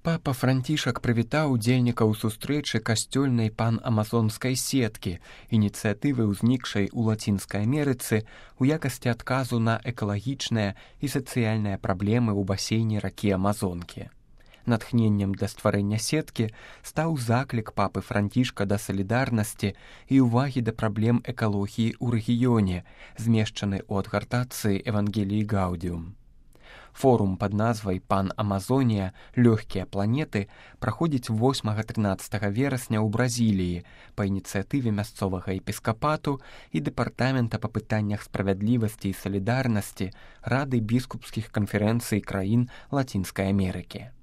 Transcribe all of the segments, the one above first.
Папа Францішак прывітаў удзельнікаў сустрэчы касцёльнай пан-амазонскай сеткі, ініцыятывы, узнікшай у Лацінскай Амерыцы ў якасці адказу на экалагічныя і сацыяльныя праблемы ў басейне ракі Амазонкі. Натхненнем для стварэння сеткі стаў заклік папы Францішка да салідарнасці і ўвагі да праблем экалогіі ў рэгіёне, змешчаны ў адгартацыі Евангеліі Гаудіум. Форум пад назвай «Пан-Амазонія. Лёгкія планеты» праходзіць 8-13 верасня ў Бразіліі па ініцыятыве мясцовага епіскапату і дэпартамента па пытаннях справядлівасці і салідарнасці Рады біскупскіх канферэнцый краін Лацінскай Амерыкі.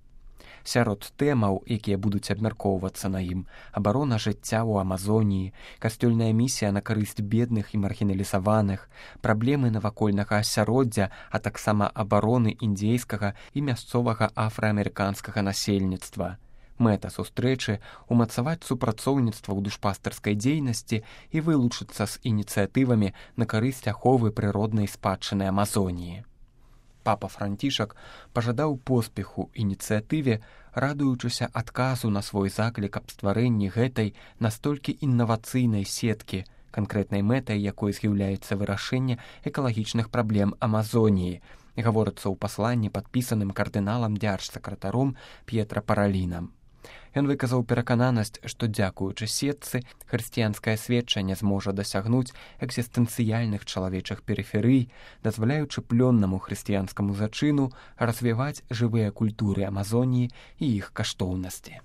Сярод тэмаў, якія будуць абмяркоўвацца на ім, абарона жыцця ў Амазоніі, касцёльная місія на карысць бедных і маргіналізаваных, праблемы навакольнага асяроддзя, а таксама абароны індзейскага і мясцовага афраамерыканскага насельніцтва. Мэта сустрэчы – умацаваць супрацоўніцтва ў душпастарскай дзейнасці і вылучыцца з ініцыятывамі на карысць аховы прыроднай спадчыны Амазоніі. Папа Францішак пажадаў поспеху ініцыятыве, радуючыся адказу на свой заклік аб стварэнні гэтай настолькі іннавацыйнай сеткі, канкрэтнай мэтай якой з'яўляецца вырашэнне экалагічных праблем Амазоніі, гаворыцца ў пасланні, падпісаным кардыналам дзяржсакратаром П'етра Паралінам. Ён выказаў перакананасць, што дзякуючы сетцы хрысціянскае сведчанне зможа дасягнуць экзістэнцыяльных чалавечых перыферый, дазваляючы плённаму хрысціянскаму зачыну развіваць жывыя культуры Амазоніі і іх каштоўнасці.